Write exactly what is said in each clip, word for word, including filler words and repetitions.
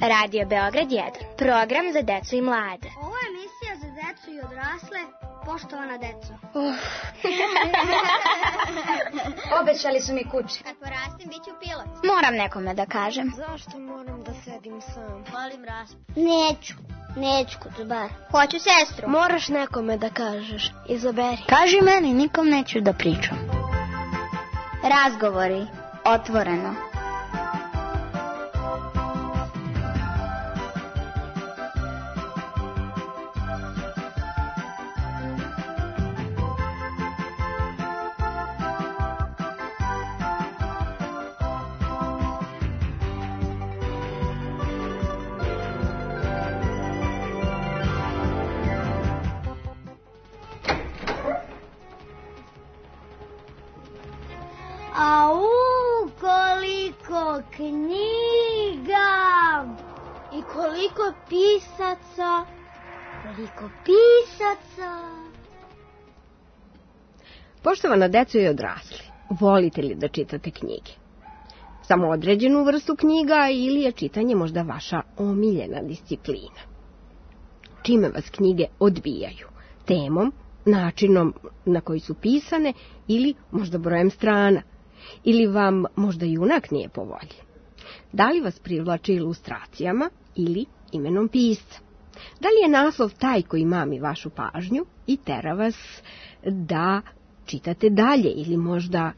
Radio Beograd jedan, program za decu i mlade. Ovo je emisija za decu i odrasle, poštovana deco. Uh. Obećali su mi kuće. Kad porastim, bit ću pilot. Moram nekome da kažem. Zašto moram da sedim sam? Volim raspad. Neću, neću kod bar. Hoću sestru. Moraš nekome da kažeš, izaberi. Kaži meni, nikom neću da pričam. Razgovori, otvoreno. Au, koliko knjiga i koliko pisaca, koliko pisaca. Poštovana deco i odrasli, volite li da čitate knjige? Samo određenu vrstu knjiga ili je čitanje možda vaša omiljena disciplina? Čime vas knjige odbijaju? Temom, načinom na koji su pisane ili možda brojem strana? Ili vam možda junak nije po volji? Da li vas privlači ilustracijama ili imenom pisca? Da li je naslov taj koji mami vašu pažnju i tera vas da čitate dalje ili možda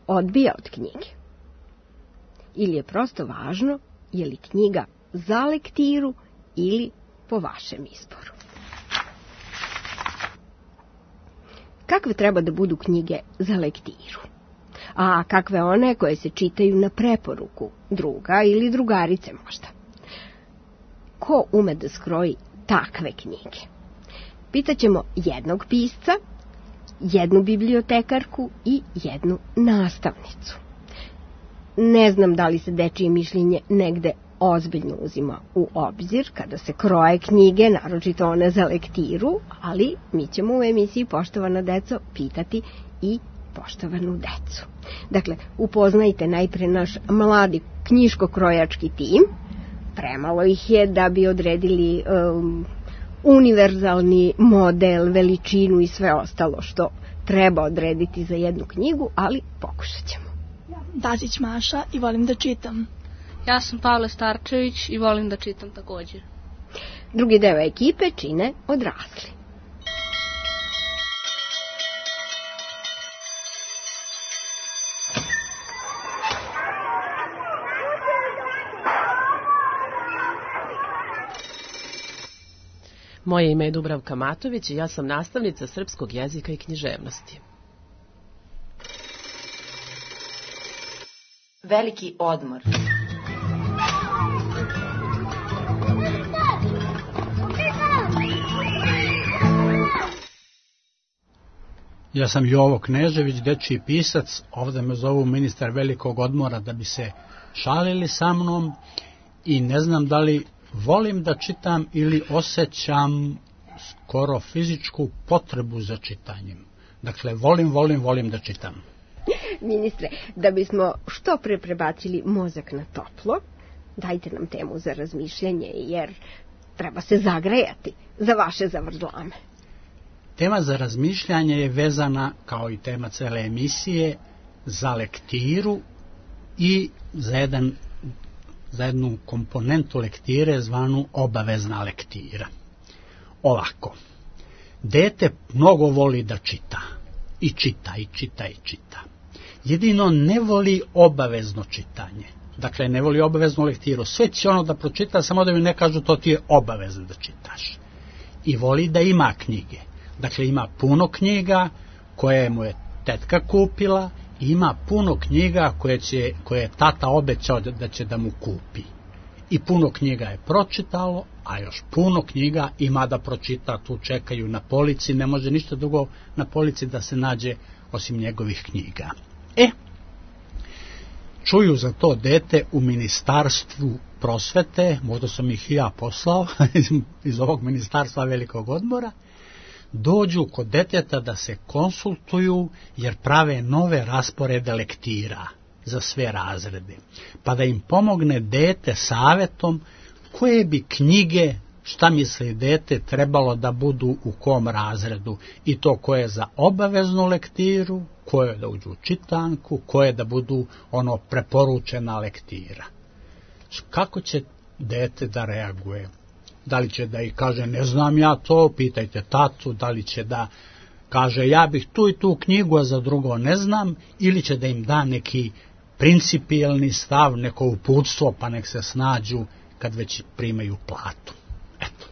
odbija od knjige? Ili je prosto važno je li knjiga za lektiru ili po vašem izboru? Kakve treba da budu knjige za lektiru? A kakve one koje se čitaju na preporuku druga ili drugarice možda? Ko ume da skroji takve knjige? Pitaćemo jednog pisca, jednu bibliotekarku i jednu nastavnicu. Ne znam da li se dečije mišljenje negde ozbiljno uzima u obzir kada se kroje knjige, naročito one za lektiru, ali mi ćemo u emisiji Poštovana deco pitati i poštovanu decu. Dakle, upoznajte najpre naš mladi knjiško-krojački tim. Premalo ih je da bi odredili um, univerzalni model, veličinu i sve ostalo što treba odrediti za jednu knjigu, ali pokušat ćemo. Dazić Maša i volim da čitam. Ja sam Pavle Starčević i volim da čitam također. Drugi deo ekipe čine odrasli. Moje ime je Dubravka Matović i ja sam nastavnica srpskog jezika i književnosti. Veliki odmor. Ja sam Jovo Knežević, dečiji pisac, ovdje me zovu ministar velikog odmora da bi se šalili sa mnom i ne znam da li volim da čitam ili osjećam skoro fizičku potrebu za čitanjem. Dakle, volim, volim, volim da čitam. Ministre, da bismo što pre prebacili mozak na toplo, dajte nam temu za razmišljanje, jer treba se zagrejati za vaše zavrzlame. Tema za razmišljanje je vezana, kao i tema cele emisije, za lektiru i za, jedan, za jednu komponentu lektire zvanu obavezna lektira. Ovako, dete mnogo voli da čita, i čita, i čita, i čita. Jedino ne voli obavezno čitanje. Dakle, ne voli obaveznu lektiru. Sve će ono da pročita, samo da mi ne kažu to ti je obavezno da čitaš. I voli da ima knjige. Dakle, ima puno knjiga koje mu je tetka kupila i ima puno knjiga koje, će, koje je tata obećao da će da mu kupi. I puno knjiga je pročitalo, a još puno knjiga ima da pročita, tu čekaju na polici, ne može ništa drugo na polici da se nađe osim njegovih knjiga. E, čuju za to dete u ministarstvu prosvete, možda sam ih i ja poslao iz ovog ministarstva velikog odmora, dođu kod deteta da se konsultuju jer prave nove rasporede lektira. za sve razrede, pa da im pomogne dete savetom koje bi knjige, šta misli dete, trebalo da budu u kom razredu, i to koje za obaveznu lektiru, koje da uđu u čitanku, koje da budu ono preporučena lektira. Kako će dete da reaguje? Da li će da i kaže ne znam ja to, pitajte tatu, da li će da kaže ja bih tu i tu knjigu, a za drugo ne znam, ili će da im da neki principijelni stav, neko uputstvo, pa nek se snađu kad već primaju platu. Eto.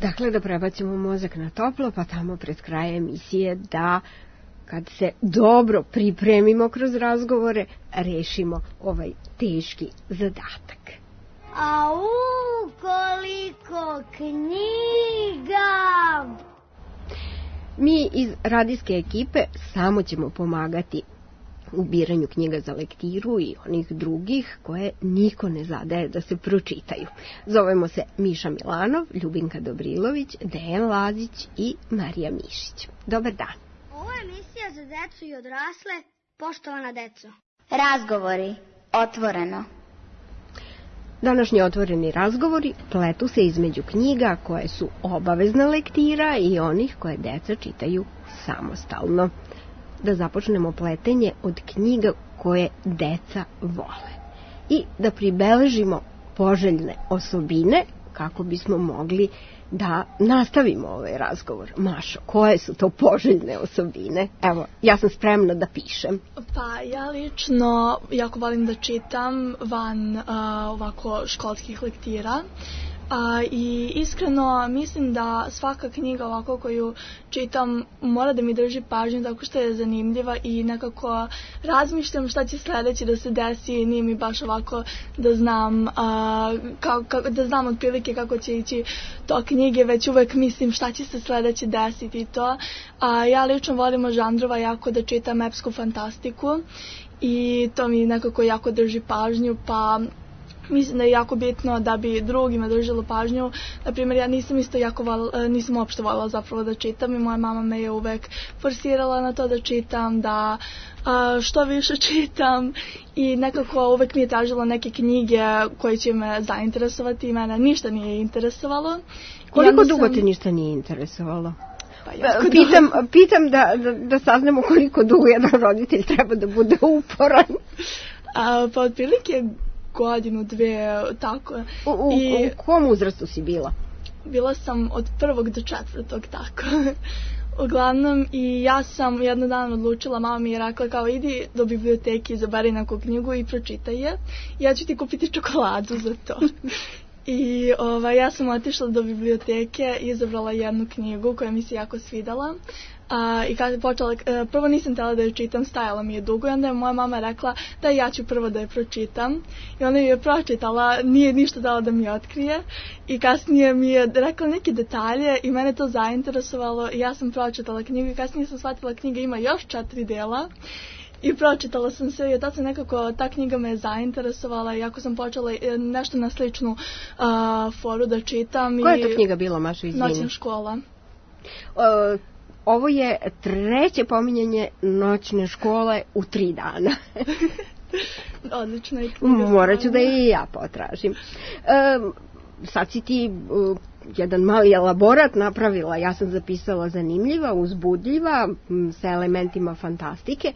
Dakle, da prebacimo mozak na toplo, pa tamo pred kraj emisije da, kad se dobro pripremimo kroz razgovore, rešimo ovaj teški zadatak. Au, koliko knjiga! Mi iz radijske ekipe samo ćemo pomagati u biranju knjiga za lektiru i onih drugih koje niko ne zadaje da se pročitaju. Zovemo se Miša Milanov, Ljubinka Dobrilović, Dejan Lazić i Marija Mišić. Dobar dan. Ovo je emisija za decu i odrasle, poštovana deco. Razgovori. Otvoreno. Današnji otvoreni razgovori pletu se između knjiga koje su obavezna lektira i onih koje deca čitaju samostalno. Da započnemo pletenje od knjiga koje deca vole i da pribeležimo poželjne osobine kako bismo mogli da nastavimo ovaj razgovor. Mašo, koje su to poželjne osobine? Evo, ja sam spremna da pišem. Pa ja lično jako volim da čitam van uh, ovako školskih lektira. A, i iskreno mislim da svaka knjiga ovako koju čitam mora da mi drži pažnju tako što je zanimljiva i nekako razmišljam šta će sledeće da se desi, nije mi baš ovako da znam a, ka, ka, da znam otprilike kako će ići to knjige, već uvek mislim šta će se sledeće desiti i to. A, ja lično volim od žanrova jako da čitam epsku fantastiku i to mi nekako jako drži pažnju, pa mislim da je jako bitno da bi drugima držalo pažnju. Naprimjer, ja nisam isto jako val, nisam uopšte voljela zapravo da čitam i moja mama me je uvek forsirala na to da čitam, da a, što više čitam i nekako uvek mi je tražila neke knjige koje će me zainteresovati i mene ništa nije interesovalo. Koliko sam... dugo te ništa nije interesovalo? Pa jako pitam, pitam da, da, da saznamo koliko dugo jedan roditelj treba da bude uporan. A, pa otprilike godinu, dve, tako. U, u, I u kom uzrastu si bila? Bila sam od prvog do četvrtog, tako. Uglavnom, i ja sam jedno dan odlučila, mama mi je rekla kao idi do biblioteke, izaberi neku knjigu i pročitaj je. Ja ću ti kupiti čokoladu za to. I ovaj, ja sam otišla do biblioteke i izabrala jednu knjigu koja mi se jako svidala. A, i kada počela, prvo nisam htjela da je čitam, stajala mi je dugo i onda je moja mama rekla da ja ću prvo da je pročitam i ona je pročitala, nije ništa dala da mi otkrije i kasnije mi je rekla neke detalje i mene to zainteresovalo i ja sam pročitala knjigu i kasnije sam shvatila knjiga ima još četiri dela i pročitala sam sve i od tada nekako ta knjiga me je zainteresovala i ako sam počela nešto na sličnu uh, foru da čitam. Koja je to knjiga bila, Maša, izvini? Noćna škola. Uh, Ovo je treće pominjanje Noćne škole u tri dana. Odlična je knjiga. Morat ću da i ja potražim. Um, sad si ti uh, jedan mali elaborat napravila. Ja sam zapisala zanimljiva, uzbudljiva, m, sa elementima fantastike.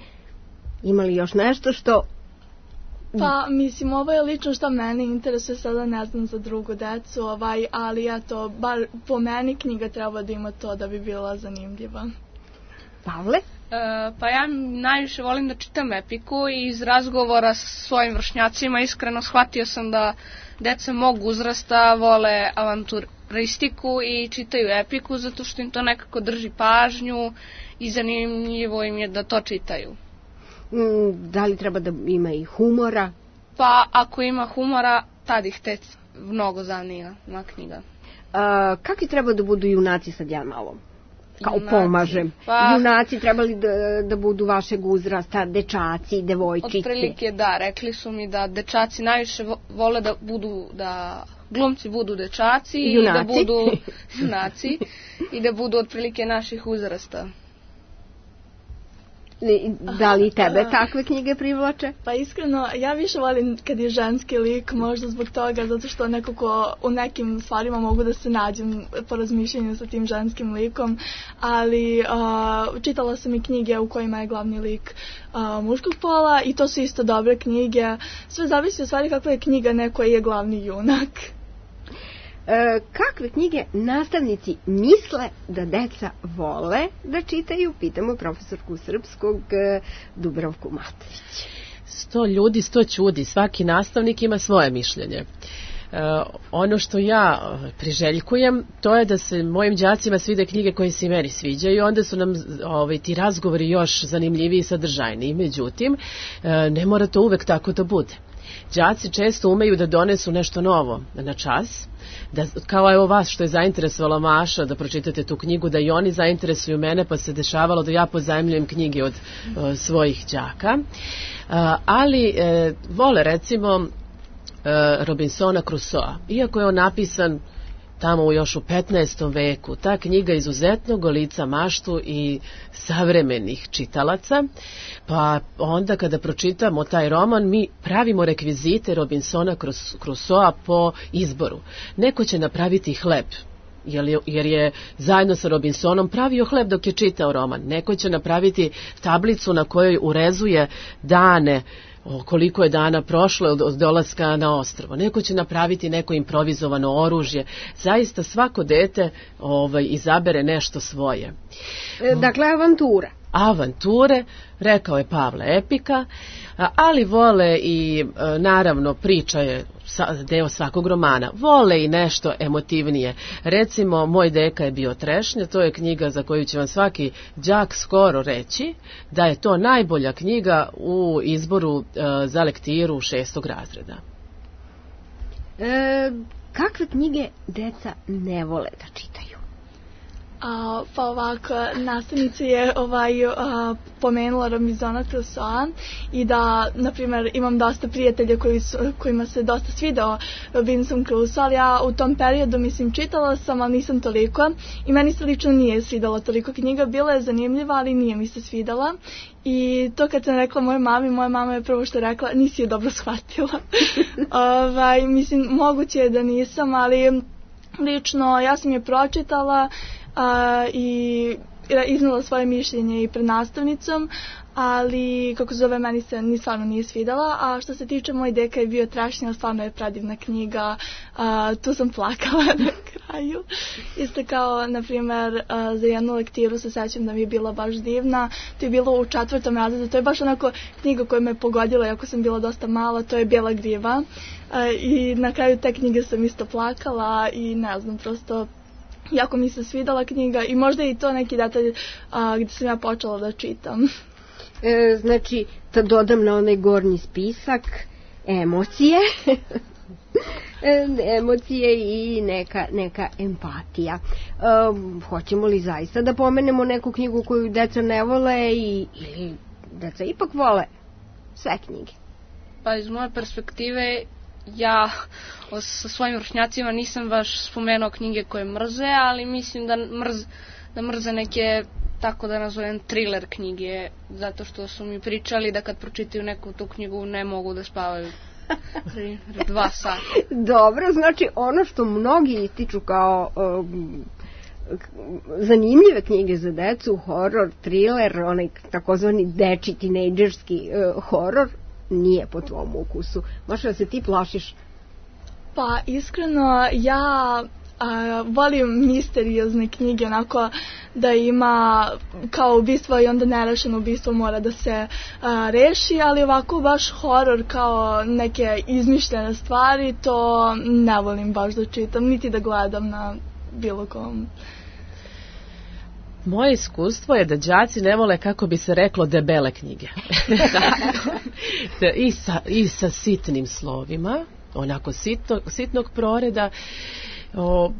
Ima li još nešto što... Pa, mislim, ovo je lično što mene interesuje, sada ne znam za drugu decu, ovaj, ali eto, bar po meni knjiga treba da ima to da bi bila zanimljiva. Pavle? E, pa ja najviše volim da čitam epiku i iz razgovora s svojim vršnjacima iskreno shvatio sam da deca mog uzrasta vole avanturistiku i čitaju epiku zato što im to nekako drži pažnju i zanimljivo im je da to čitaju. Da li treba da ima i humora? Pa ako ima humora, tad ih te mnogo zanima na knjiga. A, kakvi treba da budu junaci, sad ja malo kao junaci, pomažem? Pa, junaci trebali da, da budu vašeg uzrasta, dečaci, devojčice? Otprilike da, rekli su mi da dečaci najviše vole da budu, da glumci budu dečaci junaci. I da budu junaci i da budu otprilike naših uzrasta. Da li tebe takve knjige privlače? Pa iskreno, ja više volim kad je ženski lik, možda zbog toga, zato što nekako u nekim stvarima mogu da se nađem po razmišljanju sa tim ženskim likom, ali uh, čitala sam i knjige u kojima je glavni lik uh, muškog pola i to su isto dobre knjige. Sve zavisi od stvari kakva je knjiga, neko je glavni junak. E, kakve knjige nastavnici misle da deca vole da čitaju? Pitamo profesorku srpskog e, Dubravku Matović. Sto ljudi, sto ćudi. Svaki nastavnik ima svoje mišljenje. E, ono što ja priželjkujem, to je da se mojim đacima svide knjige koje se i meni sviđaju, onda su nam ovaj, ti razgovori još zanimljiviji i sadržajniji. Međutim, e, ne mora to uvek tako da bude. Đaci često umeju da donesu nešto novo na čas, da, kao evo vas što je zainteresovala Maša da pročitate tu knjigu, da i oni zainteresuju mene, pa se dešavalo da ja pozajmljujem knjige od uh, svojih đaka. Uh, ali uh, vole recimo uh, Robinsona Crusoa, iako je on napisan tamo još u petnaestom veku, ta knjiga izuzetno golica maštu i savremenih čitalaca, pa onda kada pročitamo taj roman, mi pravimo rekvizite Robinsona Crusoa po izboru. Neko će napraviti hleb, jer je zajedno sa Robinsonom pravio hleb dok je čitao roman. Neko će napraviti tablicu na kojoj urezuje dane, koliko je dana prošlo od dolaska na ostrvo. Neko će napraviti neko improvizovano oružje. Zaista svako dete ovaj, izabere nešto svoje. Dakle, avantura. Avanture, rekao je Pavle, epika, ali vole i naravno priča je deo svakog romana. Vole i nešto emotivnije. Recimo, Moj deka je bio trešnja, to je knjiga za koju će vam svaki đak skoro reći da je to najbolja knjiga u izboru za lektiru šestog razreda. E, kakve knjige deca ne vole da čitaju? A, pa ovako, nastavnica je ovaj, a, pomenula Robinsona Crusoa i da, na primjer, imam dosta prijatelja koji su, kojima se dosta svidao Robinson Crusoe, ali ja u tom periodu, mislim, čitala sam, ali nisam toliko i meni se lično nije svidala toliko knjiga, bila je zanimljiva, ali nije mi se svidala. I to kad sam rekla mojoj mami, moja mama je prvo što rekla, nisi je dobro shvatila. ovaj, mislim, moguće je da nisam, ali lično ja sam je pročitala a, i iznala svoje mišljenje i pred nastavnicom, ali kako zove, meni se ni stvarno nije svidala. A što se tiče Moj deka je bio trešnja, stvarno je predivna knjiga, a, tu sam plakala na kraju. Isto kao, na primjer, a, za jednu lektiru se sećam da mi je bila baš divna, to je bilo u četvrtom razredu, to je baš onako knjiga koja me pogodila, iako sam bila dosta mala, to je Bijela griva. A, i na kraju te knjige sam isto plakala i ne znam, prosto jako mi se svidala knjiga i možda i to neki detalj a, gdje sam ja počela da čitam. E, znači, da dodam na onaj gornji spisak emocije, e, emocije i neka, neka empatija. E, hoćemo li zaista da pomenemo neku knjigu koju deca ne vole i, ili deca ipak vole sve knjige? Pa iz moje perspektive, ja sa svojim vršnjacima nisam baš spomenuo knjige koje mrze, ali mislim da, mrz, da mrze neke, tako da nazovem, thriller knjige, zato što su mi pričali da kad pročitaju neku tu knjigu ne mogu da spavaju dva sata. Dobro, znači ono što mnogi ističu kao um, zanimljive knjige za decu, horor, thriller, onaj takozvani deči tinejdžerski uh, horor, nije po tvom ukusu. Možda se ti plašiš? Pa iskreno, ja a, volim misteriozne knjige, onako da ima kao ubistvo i onda nerešeno ubistvo mora da se a, reši, ali ovako baš horor kao neke izmišljene stvari, to ne volim baš da čitam, niti da gledam na bilo kom. Moje iskustvo je da đaci ne vole, kako bi se reklo, debele knjige. I, sa, I sa sitnim slovima, onako sitno, sitnog proreda. O,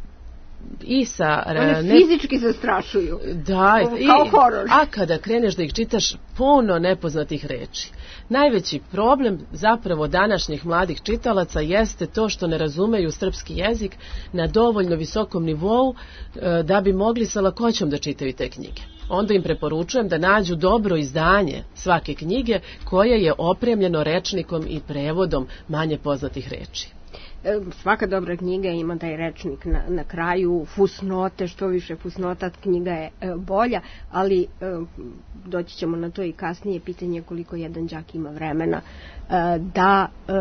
i sa... One ne, fizički zastrašuju. Da, i, kao horor. A kada kreneš da ih čitaš, puno nepoznatih reči. Najveći problem zapravo današnjih mladih čitalaca jeste to što ne razumeju srpski jezik na dovoljno visokom nivou da bi mogli sa lakoćom da čitaju te knjige. Onda im preporučujem da nađu dobro izdanje svake knjige koje je opremljeno rečnikom i prevodom manje poznatih reči. Svaka dobra knjiga ima taj rečnik na, na kraju, fusnote, što više fusnota, knjiga je e, bolja, ali e, doći ćemo na to i kasnije, pitanje koliko jedan đak ima vremena e, da e,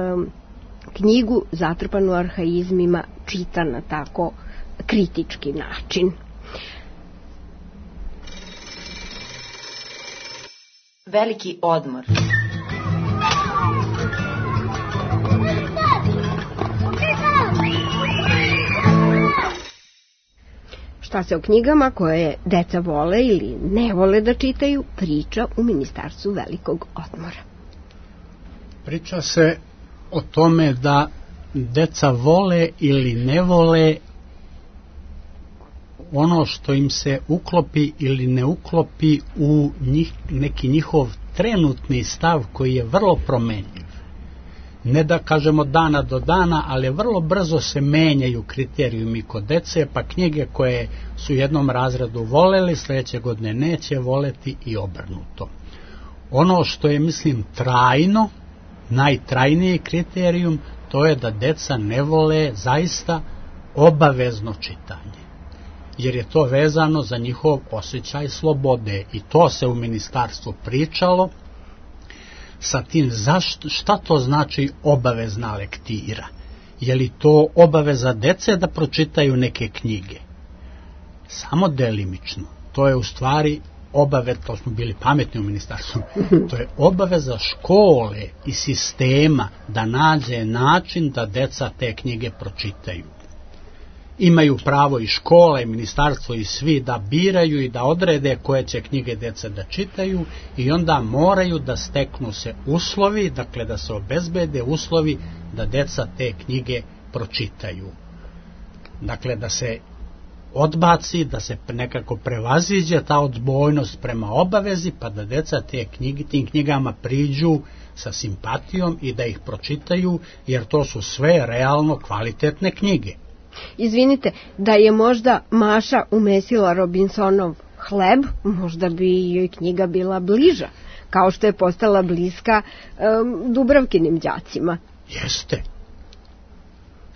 knjigu zatrpanu arhaizmima čita na tako kritički način. Veliki odmor. Šta se o knjigama koje deca vole ili ne vole da čitaju priča u Ministarstvu velikog odmora? Priča se o tome da deca vole ili ne vole ono što im se uklopi ili ne uklopi u njih, neki njihov trenutni stav koji je vrlo promenljiv. Ne da kažemo dana do dana, ali vrlo brzo se menjaju kriterijumi kod dece, pa knjige koje su u jednom razredu voleli, sljedeće godine neće voleti i obrnuto. Ono što je, mislim, trajno, najtrajniji kriterijum, to je da deca ne vole zaista obavezno čitanje. Jer je to vezano za njihov osjećaj slobode i to se u ministarstvu pričalo sa tim zašto, šta to znači obavezna lektira. Je li to obaveza dece da pročitaju neke knjige? Samo delimično. To je u stvari obaveza, to smo bili pametni u ministarstvu, to je obaveza škole i sistema da nađe način da deca te knjige pročitaju. Imaju pravo i škola i ministarstvo i svi da biraju i da odrede koje će knjige deca da čitaju i onda moraju da steknu se uslovi, dakle da se obezbede uslovi da deca te knjige pročitaju. Dakle da se odbaci, da se nekako prevaziđe ta odbojnost prema obavezi, pa da deca te knjige, tim knjigama priđu sa simpatijom i da ih pročitaju, jer to su sve realno kvalitetne knjige. Izvinite, da je možda Maša umesila Robinsonov hleb, možda bi joj knjiga bila bliža, kao što je postala bliska um, Dubravkinim đacima. Jeste.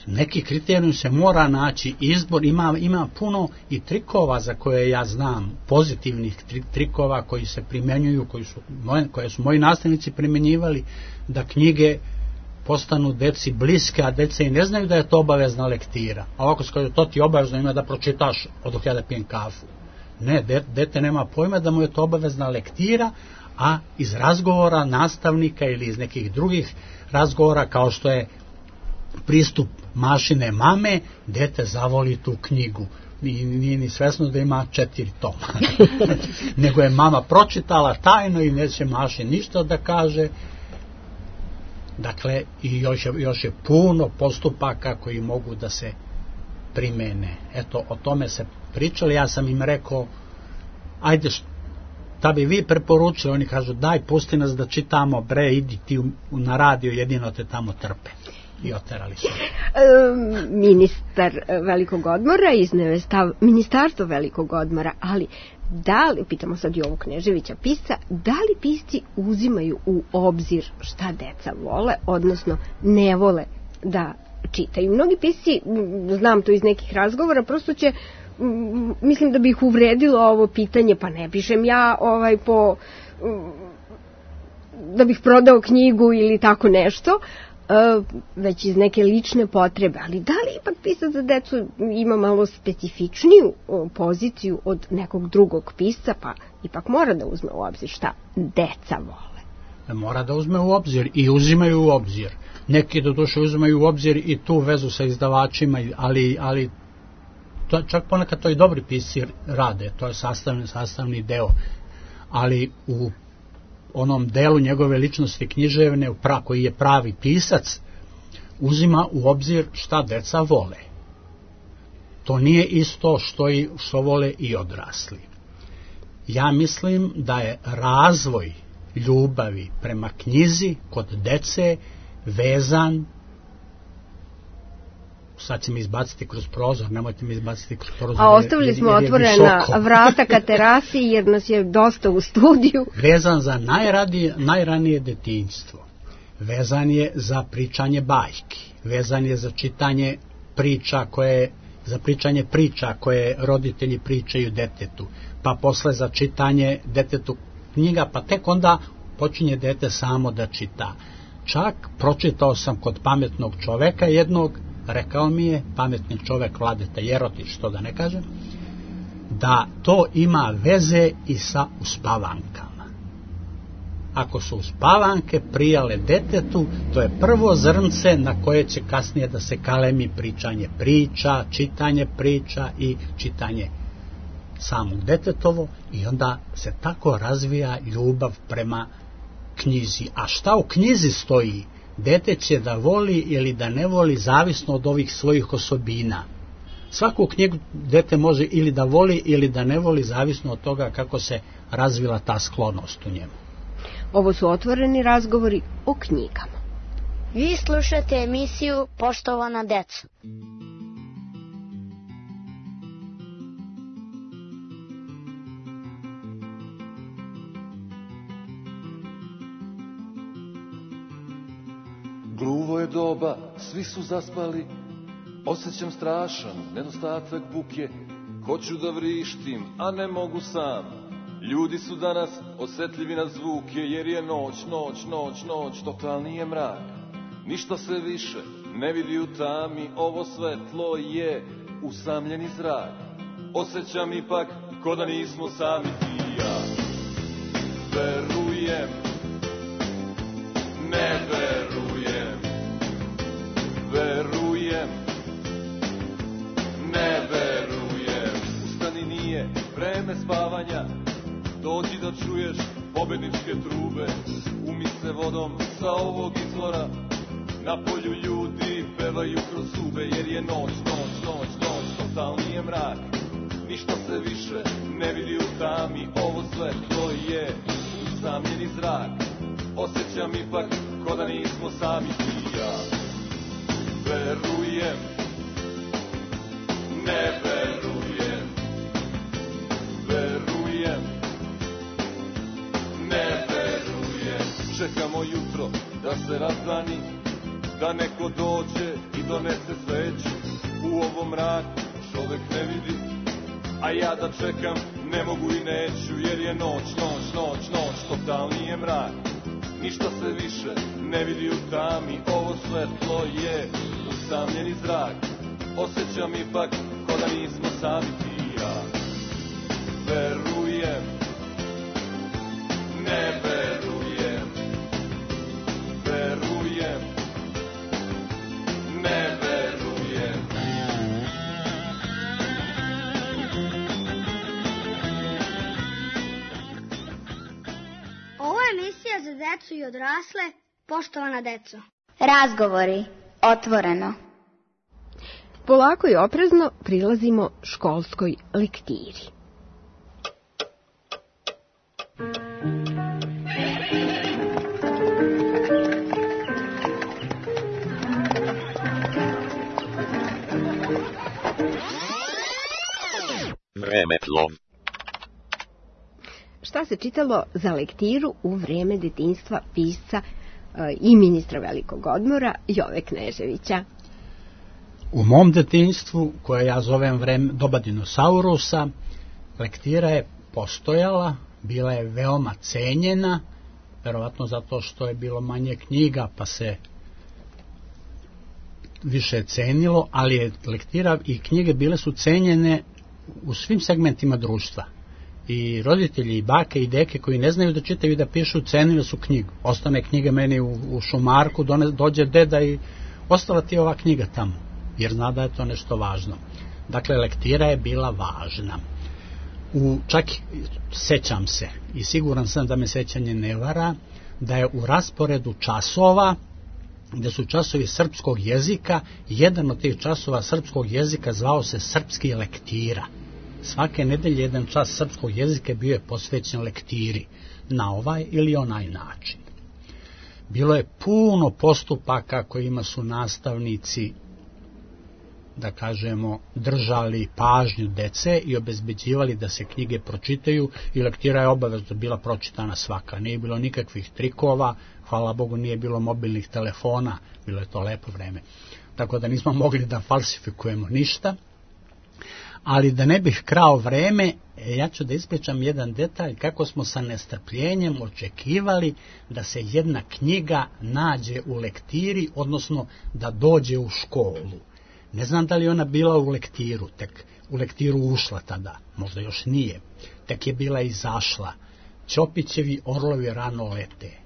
Neki kriterijum se mora naći, izbor, ima, ima puno i trikova za koje ja znam, pozitivnih trikova koji se primjenjuju, koji su, koje su moji nastavnici primjenjivali, da knjige postanu deci bliske, a dece i ne znaju da je to obavezna lektira. A ovako se kaže, to ti obavezno ima da pročitaš od dok ja da pijem kafu. Ne, de, dete nema pojma da mu je to obavezna lektira, a iz razgovora nastavnika ili iz nekih drugih razgovora, kao što je pristup Mašine mame, dete zavoli tu knjigu. Nije, nije ni svesno da ima četiri toma. Nego je mama pročitala tajno i neće Maši ništa da kaže. Dakle, i još je, još je puno postupaka koji mogu da se primene. Eto, o tome se pričali, ja sam im rekao, ajde, šta bi vi preporučili? Oni kažu, daj, pusti nas da čitamo, bre, idi ti na radio, jedino te tamo trpe. I oterali su. Ministar velikog odmora izneo je stav Ministarstvo velikog odmora, ali da li, pitamo sad i ovog Kneževića pisca, da li pisci uzimaju u obzir šta deca vole, odnosno ne vole da čitaju? Mnogi pisci, znam to iz nekih razgovora, prosto će, mislim da bi ih uvredilo ovo pitanje, pa ne pišem ja ovaj po da bih prodao knjigu ili tako nešto, već iz neke lične potrebe, ali da li ipak pisac za decu ima malo specifičniju poziciju od nekog drugog pisca, pa ipak mora da uzme u obzir šta deca vole? Mora da uzme u obzir i uzimaju u obzir. Neki do duše uzimaju u obzir i tu vezu sa izdavačima, ali, ali to, čak ponekad to i dobri pisci rade, to je sastavni, sastavni deo, ali u onom delu njegove ličnosti književne koji je pravi pisac uzima u obzir šta deca vole. to nije isto što, i, što vole i odrasli. Ja mislim da je razvoj ljubavi prema knjizi kod dece vezan, sad će mi izbaciti kroz prozor, nemojte mi izbaciti kroz prozor. A ostavili smo otvorena vrata ka terasi jer nas je dosta u studiju. Vezan za najranije, najranije detinjstvo, vezan je za pričanje bajki, vezan je za čitanje priča koje, za pričanje priča koje roditelji pričaju detetu, pa posle za čitanje detetu knjiga, pa tek onda počinje dete samo da čita. Čak pročitao sam kod pametnog čoveka jednog, rekao mi je, pametni čovek Vladeta Jerotić, što da ne kažem, da to ima veze i sa uspavankama. Ako su uspavanke prijale detetu, to je prvo zrnce na koje će kasnije da se kalemi pričanje priča, čitanje priča i čitanje samog detetovo, i onda se tako razvija ljubav prema knjizi. A šta u knjizi stoji, dete će da voli ili da ne voli zavisno od ovih svojih osobina. Svaku knjigu dete može ili da voli ili da ne voli zavisno od toga kako se razvila ta sklonost u njemu. Ovo su otvoreni razgovori o knjigama. Vi slušate emisiju Poštovana deco. Gluvo je doba, svi su zaspali, osjećam strašan nedostatak buke, hoću da vrištim, a ne mogu sam. Ljudi su danas osjetljivi na zvuke, jer je noć, noć, noć, noć, totalni je mrak. Ništa se više ne vidi u tami, ovo svetlo je usamljeni zrak. Osjećam ipak ko da nismo sami ti i ja. Verujem, ne verujem, verujem, ne verujem. Ustani, nije vreme spavanja, dođi da čuješ pobedničke trube. Umi se vodom sa ovog izvora, na polju ljudi pevaju kroz zube, jer je noć, noć, noć, noć, totalni je mrak. Ništa se više ne vidi u tami, ovo svetlo je usamljeni zrak. Osjećam ipak ko da nismo sami ti i ja. Verujem, ne verujem, verujem, ne verujem. Čekamo jutro da se razdani, da neko dođe i donese sveću. U ovom mraku čovek ne vidi, a ja da čekam ne mogu i neću, jer je noć, noć, noć, noć, totalni je mrak. Ništa se više ne vidi u tami, ovo svetlo je usamljeni zrak. Osjećam ipak ko da nismo sami ti i ja. Verujem, ne verujem, verujem, ne verujem. Ovo je emisija za decu i odrasle, poštovana deco. Razgovori otvoreno. Polako i oprezno prilazimo školskoj lektiri. Vremeplov. Šta se čitalo za lektiru u vreme detinjstva pisca e, i ministra velikog odmora Jove Kneževića? U mom detinjstvu, koje ja zovem vreme doba dinosaurusa, lektira je postojala, bila je veoma cenjena, verovatno zato što je bilo manje knjiga pa se više cenilo, ali je lektira i knjige bile su cenjene u svim segmentima društva. I roditelji i bake i deke koji ne znaju da čitaju i da pišu, cenili su knjigu. Ostane knjiga meni u, u šumarku, done, dođe deda i ostala ti ova knjiga tamo, jer zna da je to nešto važno. Dakle, lektira je bila važna. U, čak sećam se, i siguran sam da me sećanje ne vara, da je u rasporedu časova gde su časovi srpskog jezika. Jedan od tih časova srpskog jezika zvao se srpski lektira. Svake nedelje jedan čas srpskog jezika bio je posvećen lektiri na ovaj ili onaj način. Bilo je puno postupaka kojima su nastavnici, da kažemo, držali pažnju dece i obezbeđivali da se knjige pročitaju, i lektira je obavezno bila pročitana svaka. Nije bilo nikakvih trikova, hvala Bogu nije bilo mobilnih telefona, bilo je to lepo vreme. Tako da nismo mogli da falsifikujemo ništa. Ali da ne bih krao vreme, ja ću da ispričam jedan detalj kako smo sa nestrpljenjem očekivali da se jedna knjiga nađe u lektiri, odnosno da dođe u školu. Ne znam da li ona bila u lektiru, tek u lektiru ušla tada, možda još nije, tek je bila izašla. Ćopićevi orlovi rano lete.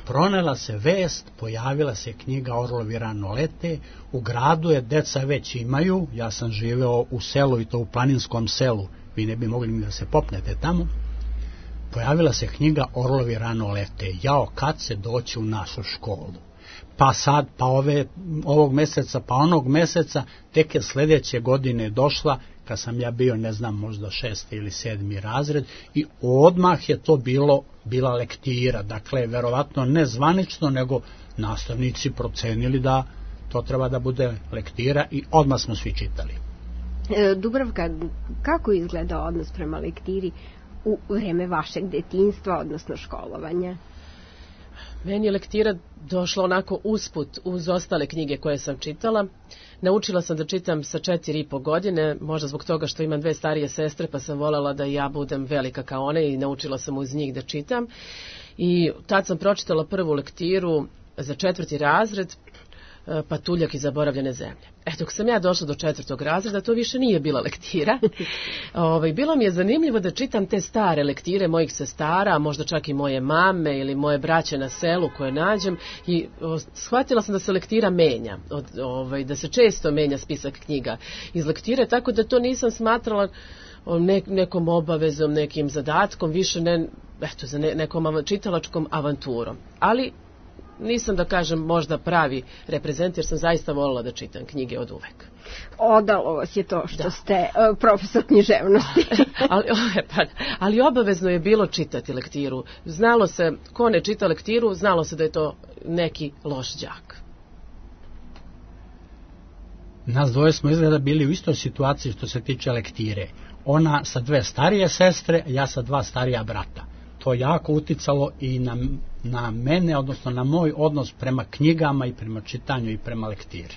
Pronela se vest, pojavila se knjiga Orlovi rano lete, u gradu je deca već imaju, ja sam živeo u selu i to u planinskom selu, vi ne bi mogli ni da se popnete tamo. Pojavila se knjiga Orlovi rano lete, jao kad se doći u našu školu. Pa sad, pa ove, ovog meseca, pa onog meseca, tek je sljedeće godine došla, kad sam ja bio, ne znam, možda šesti ili sedmi razred, i odmah je to bilo, bila lektira. Dakle, verovatno ne zvanično, nego nastavnici procenili da to treba da bude lektira i odmah smo svi čitali. E, Dubravka, kako izgleda odnos prema lektiri u vreme vašeg detinjstva, odnosno školovanja? Meni je lektira došla onako usput uz ostale knjige koje sam čitala. Naučila sam da čitam sa četiri i po godine, možda zbog toga što imam dve starije sestre, pa sam voljela da ja budem velika kao one i naučila sam uz njih da čitam. I tad sam pročitala prvu lektiru za četvrti razred, Patuljak i zaboravljene zemlje. E, dok sam ja došla do četvrtog razreda, to više nije bila lektira. Ovaj, bilo mi je zanimljivo da čitam te stare lektire mojih sestara, možda čak i moje mame ili moje braće na selu koje nađem, i o, shvatila sam da se lektira menja, od, ovaj, da se često menja spisak knjiga iz lektire, tako da to nisam smatrala ne, nekom obavezom, nekim zadatkom, više ne, eto, za ne, nekom čitalačkom avanturom. Ali nisam, da kažem, možda pravi reprezent, jer sam zaista voljela da čitam knjige od uvek. Odalo vas je to što da. ste uh, profesor književnosti. ali, pa, ali obavezno je bilo čitati lektiru. Znalo se, ko ne čita lektiru, znalo se da je to neki loš đak. Nas dvoje smo izgleda bili u istoj situaciji što se tiče lektire. Ona sa dve starije sestre, ja sa dva starija brata. To jako uticalo i na, na mene, odnosno na moj odnos prema knjigama i prema čitanju i prema lektiri.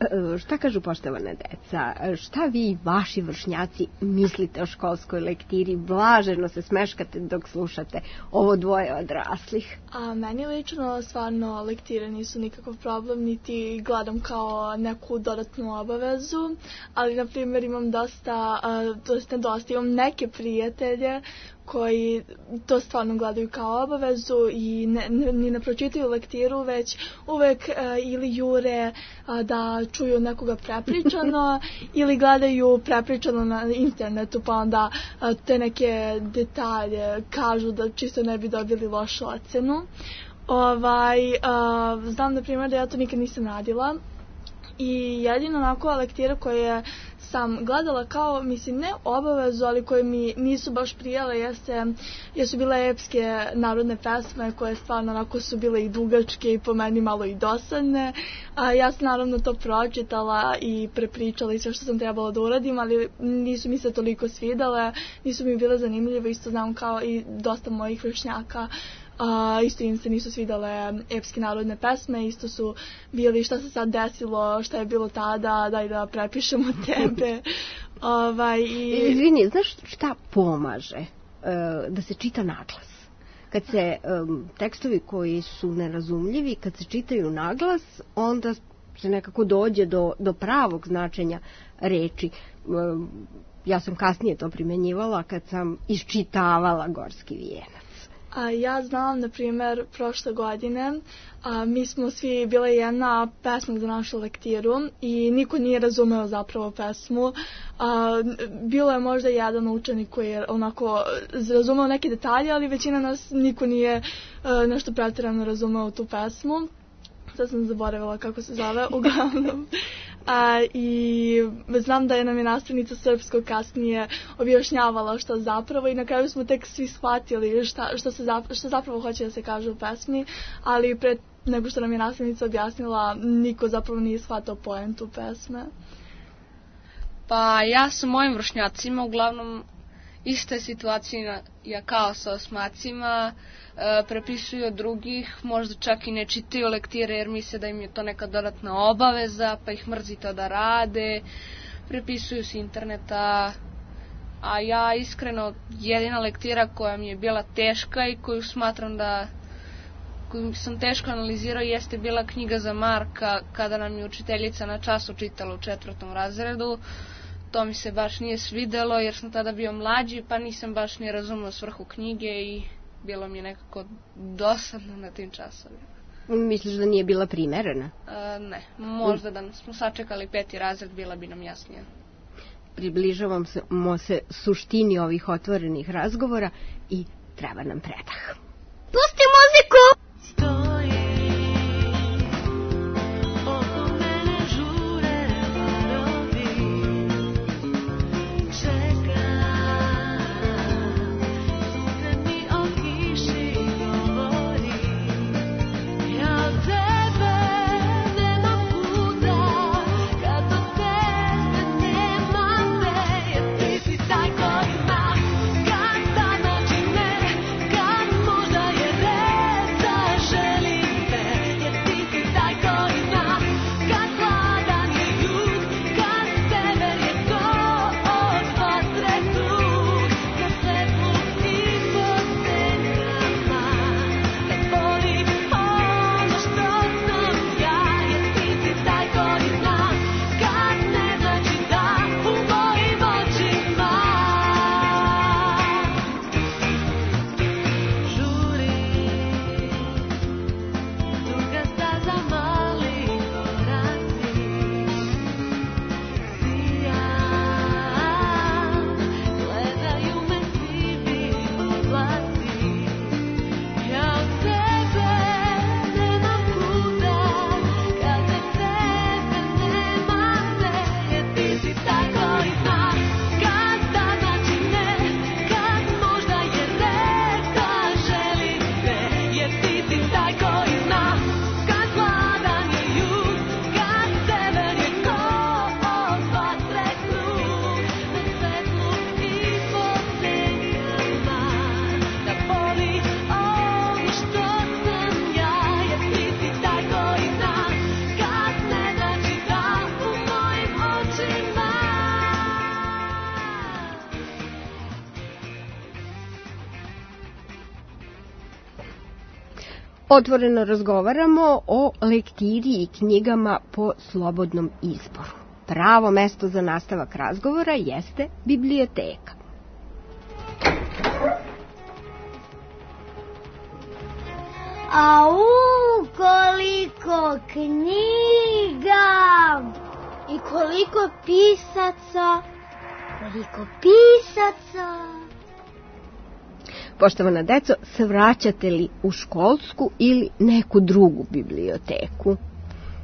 E, šta kažu poštovana deca? Šta vi i vaši vršnjaci mislite o školskoj lektiri? Blaženo se smeškate dok slušate ovo dvoje odraslih. A meni lično stvarno lektire nisu nikakav problem, niti gledam kao neku dodatnu obavezu, ali na primjer imam dosta, dosta, dosta imam neke prijatelje koji to stvarno gledaju kao obavezu i ne, ne, ne pročitaju lektiru, već uvek uh, ili jure uh, da čuju nekoga prepričano ili gledaju prepričano na internetu, pa onda uh, te neke detalje kažu da čisto ne bi dobili lošu ocenu. Ovaj, uh, znam na primjer da ja to nikad nisam radila i jedino onako lektira koje sam gledala kao, mislim, ne obavezu, ali koje mi nisu baš prijale, jeste, jesu bile epske narodne pesme koje stvarno onako su bile i dugačke i po meni malo i dosadne. A ja sam naravno to pročitala i prepričala i sve što sam trebala da uradim, ali nisu mi se toliko svidale, nisu mi bile zanimljive, isto znam kao i dosta mojih vršnjaka. Uh, isto im se nisu svidale epske narodne pesme, isto su bili šta se sad desilo, šta je bilo tada, daj da prepišemo tebe. Ovaj, i... Izvini, znaš šta pomaže uh, da se čita naglas? Kad se um, tekstovi koji su nerazumljivi, kad se čitaju naglas, onda se nekako dođe do, do pravog značenja reči. Um, ja sam kasnije to primjenjivala kad sam iščitavala Gorski vijenac. A ja znam, na primjer, prošle godine a, mi smo svi bila jedna pesma za našu lektiru i niko nije razumeo zapravo pesmu. A, bilo je možda jedan učenik koji je onako razumeo neke detalje, ali većina nas niko nije a, nešto pretjerano razumeo tu pesmu. sad sam zaboravila kako se zove, uglavnom. A, I znam da je nam je nastavnica srpskog kasnije objašnjavala što zapravo i na kraju smo tek svi shvatili šta, što, se zapravo, što zapravo hoće da se kaže u pesmi, ali pre nego što nam je nastavnica objasnila, niko zapravo nije shvatao poentu pesme. Pa ja sa mojim vršnjacima uglavnom iste situacije ja kao sa osmacima, e, prepisuju od drugih, možda čak i ne čitaju lektire jer misle da im je to neka dodatna obaveza, pa ih mrzi to da rade, prepisuju s interneta, a ja iskreno jedina lektira koja mi je bila teška i koju smatram da koju sam teško analizirao jeste bila knjiga za Marka kada nam je učiteljica na času čitala u četvrtom razredu. To mi se baš nije svidelo jer sam tada bio mlađi pa nisam baš ni razumio svrhu knjige i bilo mi je nekako dosadno na tim časovima. Misliš da nije bila primerena? E, ne, možda da smo sačekali peti razred bila bi nam jasnija. Približavamo se suštini ovih otvorenih razgovora i treba nam predah. Pusti muziku! Otvoreno razgovaramo o lektiri i knjigama po slobodnom izboru. Pravo mesto za nastavak razgovora jeste biblioteka. Au, koliko knjiga! I koliko pisaca! Koliko pisaca! Poštovana deco, svraćate li u školsku ili neku drugu biblioteku?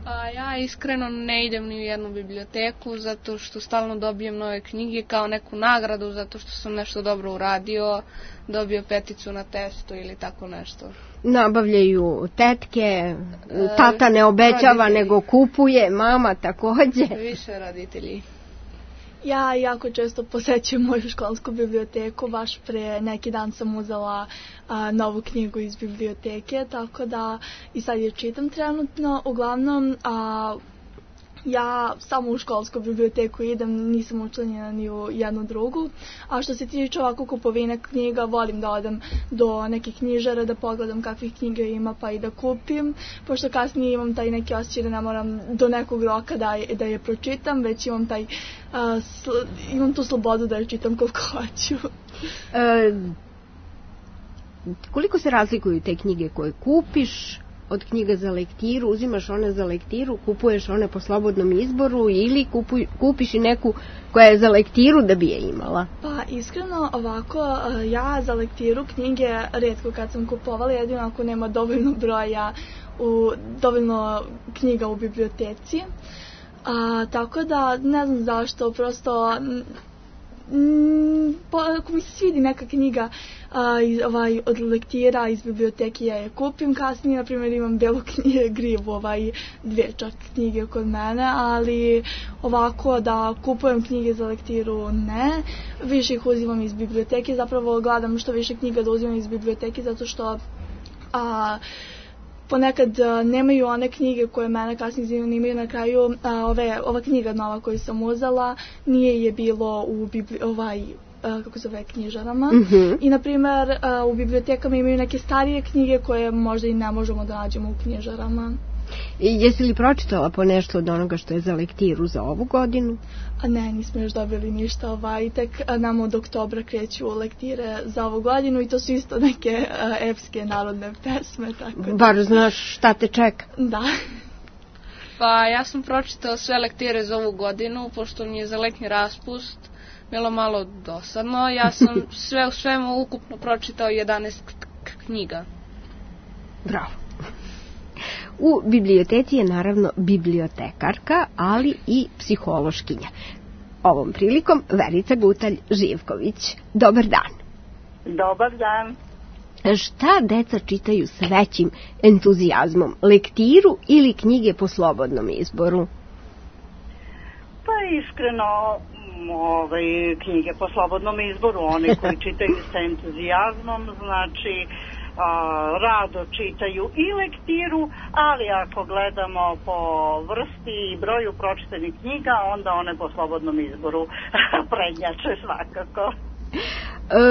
A ja iskreno ne idem ni u jednu biblioteku zato što stalno dobijem nove knjige kao neku nagradu zato što sam nešto dobro uradio, dobio peticu na testu ili tako nešto. Nabavljaju tetke, tata ne obećava roditelji. Nego kupuje, mama takođe. Više roditelji. Ja jako često posećujem moju školsku biblioteku, baš pre neki dan sam uzela a, novu knjigu iz biblioteke, tako da i sad je čitam trenutno. Uglavnom, a, ja samo u školsku biblioteku idem, nisam učlanjena ni u jednu drugu, a što se tiče ovako kupovine knjiga, volim da odem do nekih knjižara, da pogledam kakvih knjiga ima pa i da kupim, pošto kasnije imam taj neki osjećaj da ne moram do nekog roka da je, da je pročitam, već imam taj a, sl, imam tu slobodu da je čitam koliko hoću. E, koliko se razlikuju te knjige koje kupiš od knjiga za lektiru, uzimaš one za lektiru, kupuješ one po slobodnom izboru ili kupuj, kupiš i neku koja je za lektiru da bi je imala? Pa iskreno ovako, ja za lektiru knjige retko kad sam kupovala, jedino ako nema dovoljno broja, u, dovoljno knjiga u biblioteci. A, tako da ne znam zašto, prosto Mm, po, ako mi se svidi neka knjiga a, iz, ovaj, od lektira iz biblioteke, ja je kupim. Kasnije, na primjer, imam belu knjige, grivu, ovaj, dvije čak knjige kod mene, ali ovako da kupujem knjige za lektiru, ne. Više ih uzimam iz biblioteke, zapravo gledam što više knjiga da uzimam iz biblioteke, zato što a, ponekad a, nemaju one knjige koje mene kasnije zanimaju. Na kraju a, ove, ova knjiga nova koju sam uzela nije je bilo u bibli, ovaj, a, kako se zove, knjižarama. Mm-hmm. I na primjer a, u bibliotekama imaju neke starije knjige koje možda i ne možemo da nađemo u knjižarama. I jesi li pročitala po nešto od onoga što je za lektiru za ovu godinu? A ne, nismo još dobili ništa, ovaj, tek nam od oktobra kreću lektire za ovu godinu i to su isto neke uh, epske narodne pesme. Tako da... Bar znaš šta te čeka. Da. Pa ja sam pročitala sve lektire za ovu godinu, pošto mi je za letnji raspust bilo malo dosadno. Ja sam sve u svemu ukupno pročitao jedanaest knjiga. Bravo. U biblioteci je naravno bibliotekarka, ali i psihološkinja. Ovom prilikom Verica Gutalj-Živković. Dobar dan. Dobar dan. Šta deca čitaju s većim entuzijazmom? Lektiru ili knjige po slobodnom izboru? Pa iskreno, ovaj, knjige po slobodnom izboru. Oni koji čitaju sa entuzijazmom, znači... A, rado čitaju i lektiru, ali ako gledamo po vrsti i broju pročitanih knjiga, onda one po slobodnom izboru prednjače svakako. E,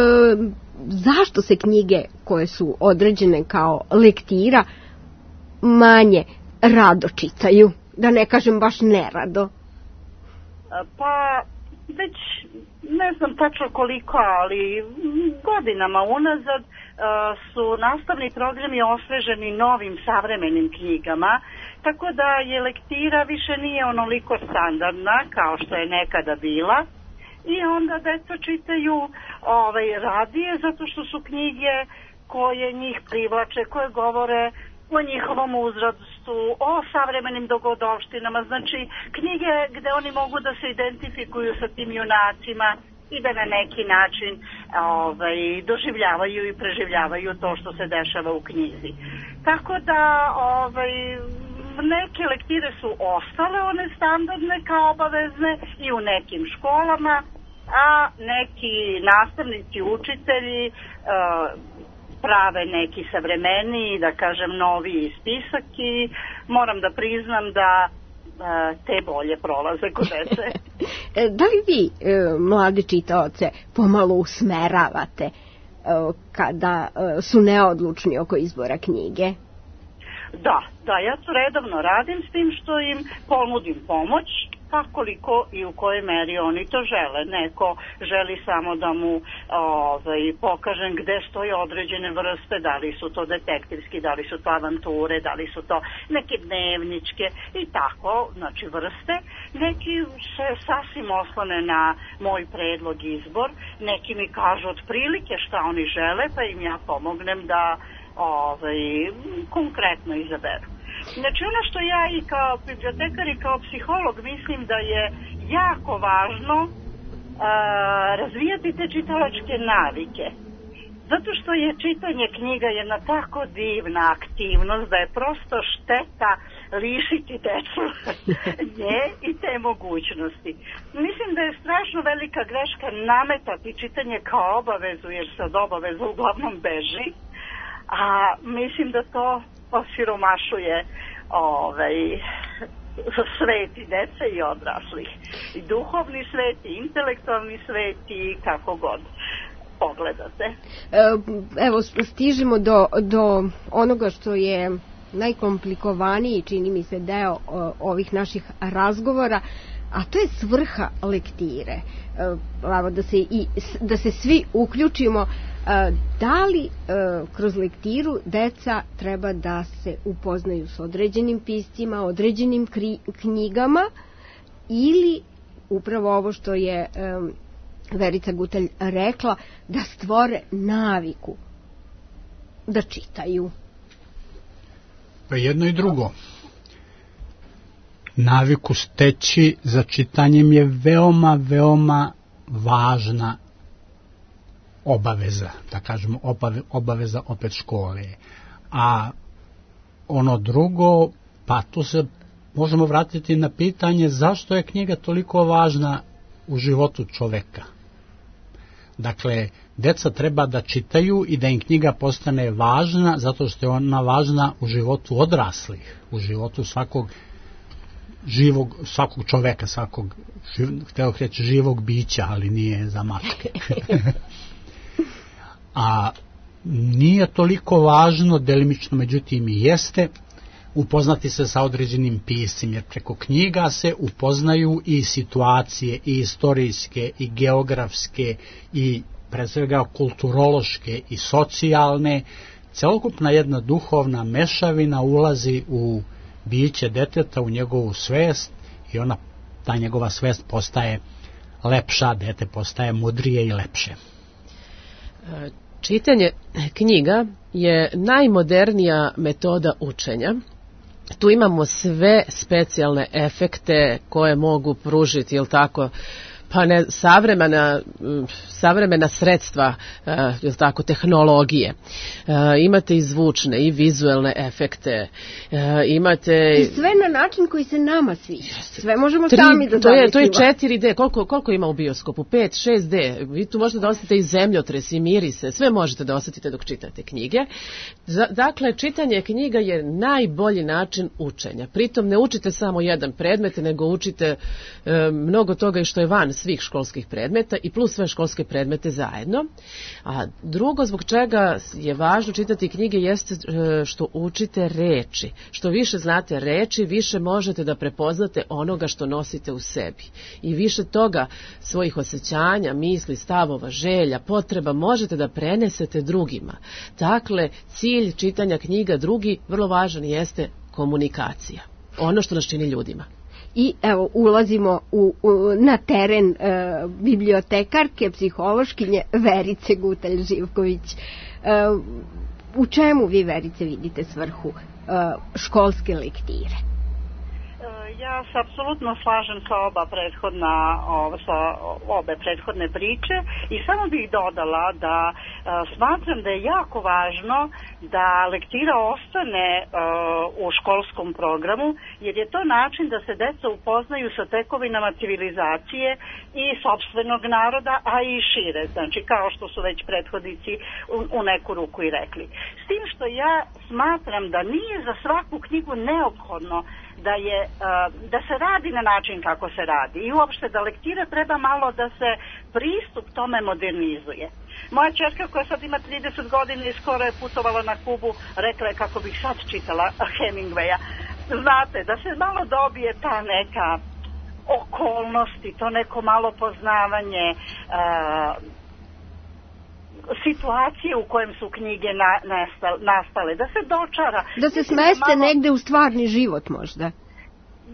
zašto se knjige koje su određene kao lektira manje rado čitaju? Da ne kažem baš nerado. Pa već ne znam tačno koliko, ali godinama unazad su nastavni programi osveženi novim savremenim knjigama, tako da je lektira više nije onoliko standardna kao što je nekada bila i onda deca čitaju ovaj, radije zato što su knjige koje njih privlače, koje govore o njihovom uzrastu, o savremenim dogodovštinama, znači knjige gde oni mogu da se identifikuju sa tim junacima i da na neki način ovaj, doživljavaju i preživljavaju to što se dešava u knjizi. Tako da ovaj, neke lektire su ostale one standardne kao obavezne i u nekim školama, a neki nastavnici, učitelji uh, prave neki savremeniji, da kažem noviji spisak i moram da priznam da te bolje prolaze kod dece. Da li vi, mlade čitaoce, pomalo usmeravate kada su neodlučni oko izbora knjige? Da, da, ja to redovno radim s tim što im ponudim pomoć, pa koliko i u kojoj meri oni to žele. Neko želi samo da mu ovaj, pokažem gde stoje određene vrste, da li su to detektivski, da li su to avanture, da li su to neke dnevničke i tako, znači vrste. Neki se sasvim oslone na moj predlog izbor, neki mi kažu otprilike šta oni žele, pa im ja pomognem da ovaj, konkretno izaberu. Znači ono što ja i kao bibliotekar i kao psiholog mislim da je jako važno a, razvijati te čitalačke navike. Zato što je čitanje knjiga jedna tako divna aktivnost da je prosto šteta lišiti decu nje i te mogućnosti. Mislim da je strašno velika greška nametati čitanje kao obavezu, jer se od obaveza uglavnom beži. A mislim da to osiromašuje ovaj, svet i dece i odraslih. I duhovni svet, i intelektualni svet i kako god pogledate. Evo, stižemo do, do onoga što je najkomplikovaniji, čini mi se, deo ovih naših razgovora. a to je svrha lektire. Evo, da se, i, da se svi uključimo. Da li kroz lektiru deca treba da se upoznaju s određenim piscima, određenim kri, knjigama, ili upravo ovo što je Verica Gutalj rekla, da stvore naviku da čitaju? Pa jedno i drugo. Naviku steći za čitanjem je veoma, veoma važna obaveza, da kažemo obaveza opet škole. A ono drugo, pa tu se možemo vratiti na pitanje zašto je knjiga toliko važna u životu čoveka. Dakle, deca treba da čitaju i da im knjiga postane važna, zato što je ona važna u životu odraslih, u životu svakog živog, svakog čoveka, svakog, hteo reći živog bića, ali nije za mačke. A nije toliko važno, delimično međutim i jeste, upoznati se sa određenim piscima, jer preko knjiga se upoznaju i situacije, i istorijske, i geografske, i pre svega kulturološke i socijalne. Celokupna jedna duhovna mešavina ulazi u biće deteta, u njegovu svest, i ona, ta njegova svest postaje lepša, dete postaje mudrije i lepše. Čitanje knjiga je najmodernija metoda učenja. Tu imamo sve specijalne efekte koje mogu pružiti, jel tako, pa ne, savremena, savremena sredstva, jel tako, tehnologije. Imate i zvučne i vizuelne efekte. Imate... I sve na način koji se nama sviđa. Sve možemo tri, sami da to je, to je četiri D. Koliko, koliko ima u bioskopu? pet, šest D. Vi tu možete da osetite i zemljotres i mirise. Sve možete da osetite dok čitate knjige. Dakle, čitanje knjiga je najbolji način učenja. Pritom ne učite samo jedan predmet, nego učite e, mnogo toga i što je van svih školskih predmeta i plus sve školske predmete zajedno. A drugo zbog čega je važno čitati knjige jeste što učite reči. Što više znate reči, više možete da prepoznate onoga što nosite u sebi. I više toga svojih osjećanja, misli, stavova, želja, potreba možete da prenesete drugima. Dakle, cilj čitanja knjiga drugi, vrlo važan, jeste komunikacija. Ono što nas čini ljudima. I evo, ulazimo u, u, na teren e, bibliotekarke, psihološkinje Verice Gutalj Živković. E, u čemu vi, Verice, vidite svrhu e, školske lektire? Ja se apsolutno slažem sa oba prethodna, sa obe prethodne priče i samo bih dodala da uh, smatram da je jako važno da lektira ostane uh, u školskom programu, jer je to način da se deca upoznaju sa tekovinama civilizacije i sopstvenog naroda, a i šire, znači kao što su već prethodnici u, u neku ruku i rekli. S tim što ja smatram da nije za svaku knjigu neophodno da je da se radi na način kako se radi i uopšte da lektira treba malo da se pristup tome modernizuje. Moja ćerka koja sad ima trideset godina i skoro je putovala na Kubu, rekla je kako bih sad čitala Hemingwaya. Znate, da se malo dobije ta neka okolnosti, to neko malo poznavanje uh, situacije u kojem su knjige na, nastale, da se dočara. Da se smeste malo... negde u stvarni život možda.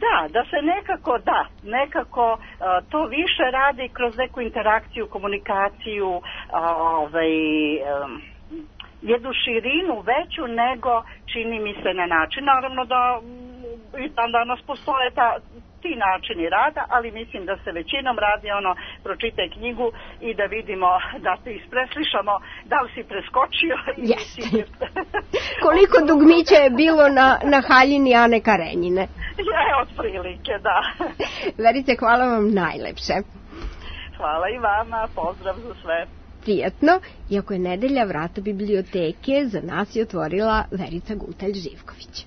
Da, da se nekako, da, nekako uh, to više radi kroz neku interakciju, komunikaciju, uh, ovaj, um, jednu širinu veću nego čini mi se na način. Naravno da i tam danas postoje ta, ti načini rada, ali mislim da se većinom radi ono, pročitaj knjigu i da vidimo, da te ispreslišamo, da li si preskočio. Jeste. Si... Koliko dugmića je bilo na, na haljini Ane Karenjine? Je, otprilike, da. Verice, hvala vam najlepše. Hvala i vama, pozdrav za sve. Prijatno, iako je nedelja, vrata biblioteke za nas je otvorila Verica Gutalj Živković.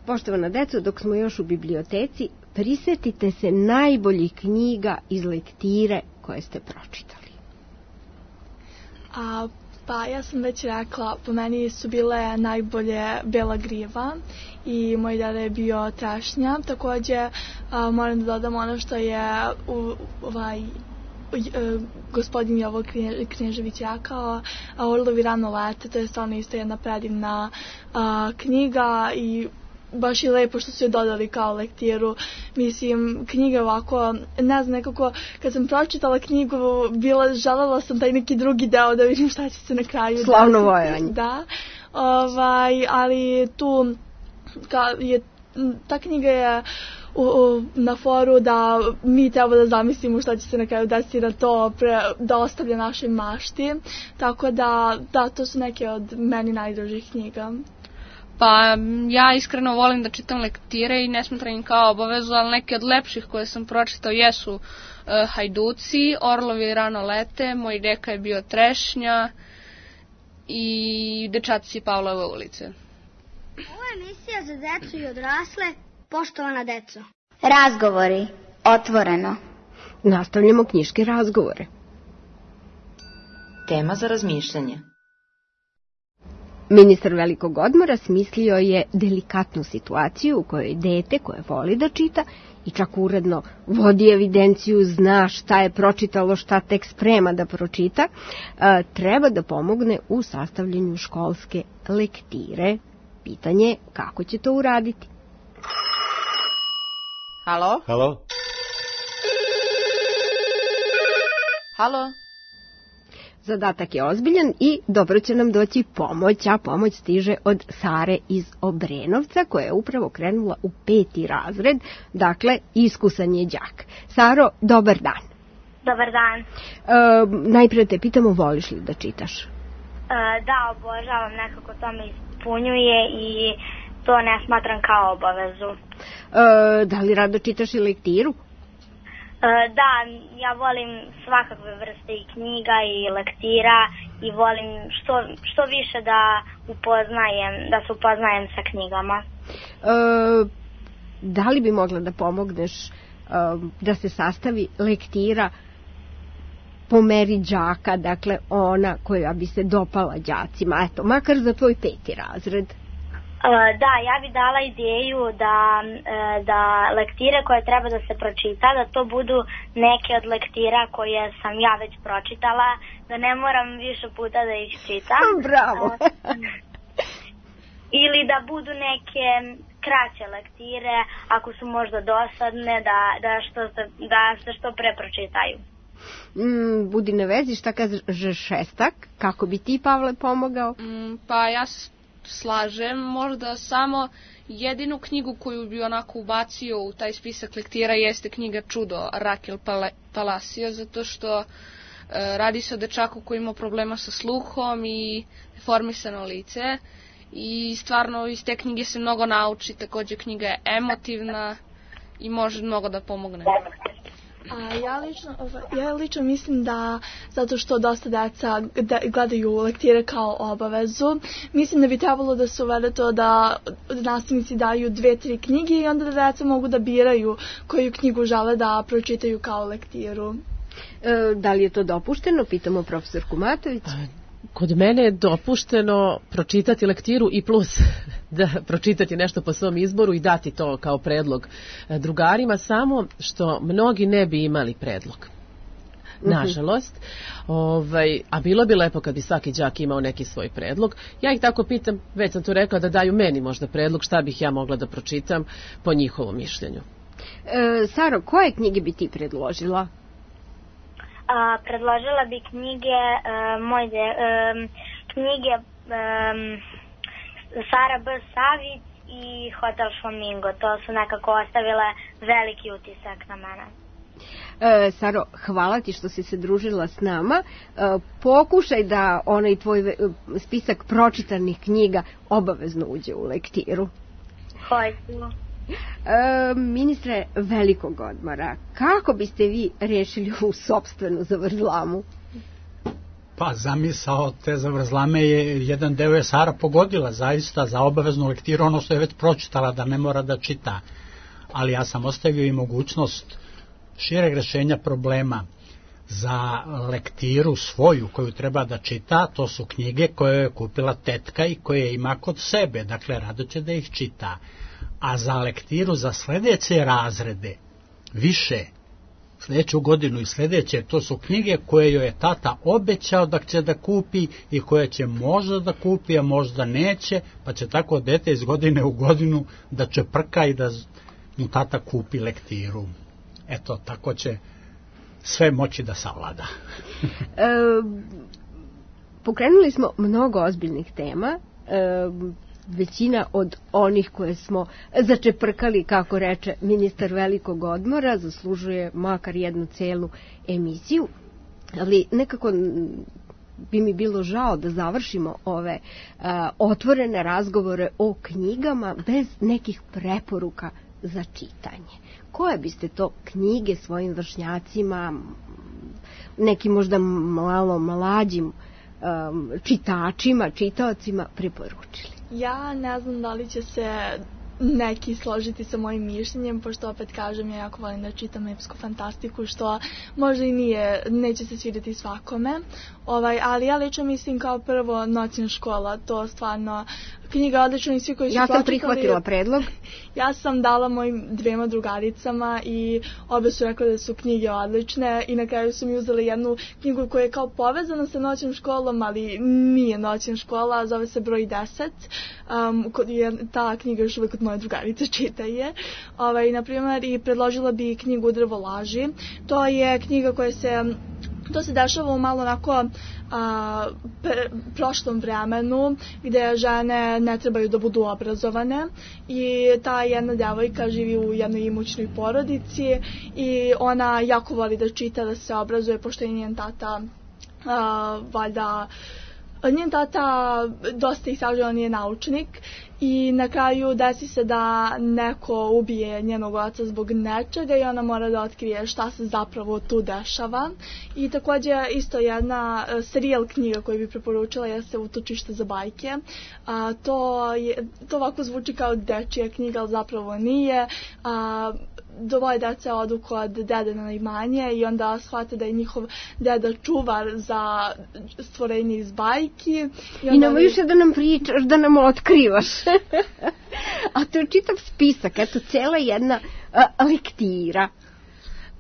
Poštovana deco, dok smo još u biblioteci, prisetite se najboljih knjiga iz lektire koje ste pročitali. A Pa ja sam već rekla, po meni su bile najbolje Bela griva i moj deda je bio trešnja. Takođe a, moram da dodam ono što je u, ovaj, u, e, gospodin Jovo Knežević rekao, a Orlovi rano lete, to je stvarno isto jedna predivna a, knjiga i baš je lepo što su je dodali kao lektiru. Mislim, knjiga ovako, ne znam, nekako, kad sam pročitala knjigu, bila, želela sam taj neki drugi deo da vidim šta će se na kraju. Slavno vojanje. Da, ovaj, ali tu, ka, je, ta knjiga je u, u, na foru da mi treba da zamislimo šta će se na kraju desiti na to, pre, da ostavlja našoj mašti. Tako da, da, to su neke od meni najdražih knjiga. Pa ja iskreno volim da čitam lektire i ne smatram im kao obavezu, ali neke od lepših koje sam pročitao jesu uh, Hajduci, Orlovi rano lete, Moj deka je bio trešnja i Dečaci Pavlove ulice. Ovo je emisija za decu i odrasle, poštovana deco. Razgovori, otvoreno. Nastavljamo knjiške razgovore. Tema za razmišljanje. Ministar velikog odmora smislio je delikatnu situaciju u kojoj dete koje voli da čita i čak uredno vodi evidenciju, zna šta je pročitalo, šta tek sprema da pročita, treba da pomogne u sastavljanju školske lektire. Pitanje je kako će to uraditi. Halo? Halo? Halo? Zadatak je ozbiljan i dobro će nam doći pomoć, a pomoć stiže od Sare iz Obrenovca koja je upravo krenula u peti razred, dakle iskusan je đak. Saro, dobar dan. Dobar dan. E, najprije te pitamo, voliš li da čitaš? E, da, obožavam, nekako to me ispunjuje i to ne smatram kao obavezu. E, da li rado čitaš i lektiru? Da, ja volim svakakve vrste i knjiga i lektira i volim što, što više da upoznajem, da se upoznajem sa knjigama. E, da li bi mogla da pomogneš e, da se sastavi lektira po meri đaka, dakle ona koja bi se dopala đacima, eto, makar za tvoj peti razred? Da, ja bih dala ideju da, da lektire koje treba da se pročita, da to budu neke od lektira koje sam ja već pročitala, da ne moram više puta da ih čitam. Bravo! Ili da budu neke kraće lektire, ako su možda dosadne, da, da, što se, da se što pre pročitaju. Mm, budi na vezi, šta kažeš šestak? Kako bi ti, Pavle, pomogao? Mm, pa ja slažem, možda samo jedinu knjigu koju bi onako ubacio u taj spisak lektira jeste knjiga Čudo Rakel Palacio, zato što e, radi se o dečaku koji ima problema sa sluhom i deformisano lice i stvarno iz te knjige se mnogo nauči, takođe knjiga je emotivna i može mnogo da pomogne. A ja lično, ja lično mislim da zato što dosta deca gledaju lektire kao obavezu, mislim da bi trebalo da se uvede to da nastavnici daju dve, tri knjige i onda da deca mogu da biraju koju knjigu žele da pročitaju kao lektiru. E, da li je to dopušteno? Pitamo profesorku Matović. Kod mene je dopušteno pročitati lektiru i plus da pročitati nešto po svom izboru i dati to kao predlog drugarima, samo što mnogi ne bi imali predlog. Nažalost, ovaj, a bilo bi lepo kad bi svaki đak imao neki svoj predlog. Ja ih tako pitam, već sam tu rekla, da daju meni možda predlog šta bih ja mogla da pročitam po njihovom mišljenju. E, Saro, koje knjige bi ti predložila? A, predložila bi knjige uh, moj de, um, knjige um, Sara B. Savić i Hotel Flamingo. To su nekako ostavile veliki utisak na mene. E, Saro, hvala ti što si se družila s nama. E, pokušaj da onaj tvoj spisak pročitanih knjiga obavezno uđe u lektiru. Hoću. E, ministre velikog odmora, kako biste vi rešili ovu sopstvenu zavrzlamu? Pa zamisao te zavrzlame je, jedan deo je Sara pogodila zaista za obaveznu lektiru, ono što je već pročitala da ne mora da čita, ali ja sam ostavio i mogućnost šireg rešenja problema. za lektiru svoju koju treba da čita, to su knjige koje je kupila tetka i koje ima kod sebe, dakle rado će da ih čita. A za lektiru za sljedeće razrede, više, sljedeću godinu i sljedeće, to su knjige koje joj je tata obećao da će da kupi i koje će možda da kupi, a možda neće, pa će tako dete iz godine u godinu da čeprka i da mu tata kupi lektiru. Eto, tako će sve moći da savlada. e, pokrenuli smo mnogo ozbiljnih tema, e, većina od onih koje smo začeprkali, kako reče ministar velikog odmora, zaslužuje makar jednu celu emisiju, ali nekako bi mi bilo žao da završimo ove uh, otvorene razgovore o knjigama bez nekih preporuka za čitanje. Koje biste to knjige svojim vršnjacima, nekim možda malo mlađim um, čitačima, čitaocima preporučili? Ja ne znam da li će se neki složiti sa mojim mišljenjem, pošto opet kažem, ja jako volim da čitam epsku fantastiku, što možda i nije, neće se svidjeti svakome, ovaj, ali ja lično mislim kao prvo Noćna škola, to stvarno knjiga odlična i svi koji su ja sam pročitali, prihvatila predlog. Ja sam dala mojim dvema drugaricama i obe su rekla da su knjige odlične i na kraju su mi uzeli jednu knjigu koja je kao povezana sa Noćnom školom, ali nije Noćna škola, zove se Broj deset. Um, ta knjiga još uvijek od moje drugarice čita je. Ovaj, naprimjer, i predložila bi knjigu Drvo laži. To je knjiga koja se To se dešava u malo onako a, pre, prošlom vremenu gdje žene ne trebaju da budu obrazovane i ta jedna djevojka živi u jednoj imućnoj porodici i ona jako voli da čita, da se obrazuje, pošto je njen tata a, valjda njen tata dosta istražuje, on je naučnik i na kraju desi se da neko ubije njenog oca zbog nečega i ona mora da otkrije šta se zapravo tu dešava. I također isto jedna serijal knjiga koju bi preporučila jeste Utočište za bajke. A, to, je, to ovako zvuči kao dečija knjiga, ali zapravo nije. A, dvoje dece odu kod dede na imanje i onda shvate da je njihov deda čuvar za stvorenje iz bajki. I, I nema više da nam pričaš, da nam otkrivaš. A to je čitav spisak, eto, cijela jedna a, lektira.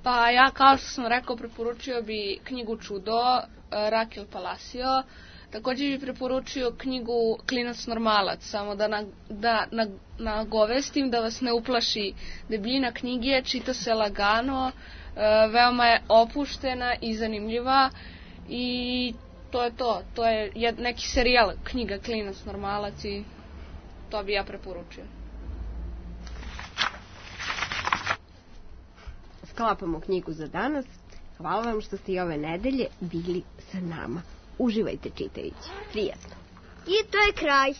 Pa ja, kao što sam rekao, preporučio bi knjigu Čudo, Rakel Palacio. Također bi preporučio knjigu Klinac normalac, samo da, na, da na, nagovestim da vas ne uplaši debljina knjige, čita se lagano, e, veoma je opuštena i zanimljiva i to je to. To je jed, neki serijal knjiga Klinac normalac i to bi ja preporučio. Sklapamo knjigu za danas. Hvala vam što ste i ove nedelje bili sa nama. Uživajte čitajući. Prijetno. I to je kraj.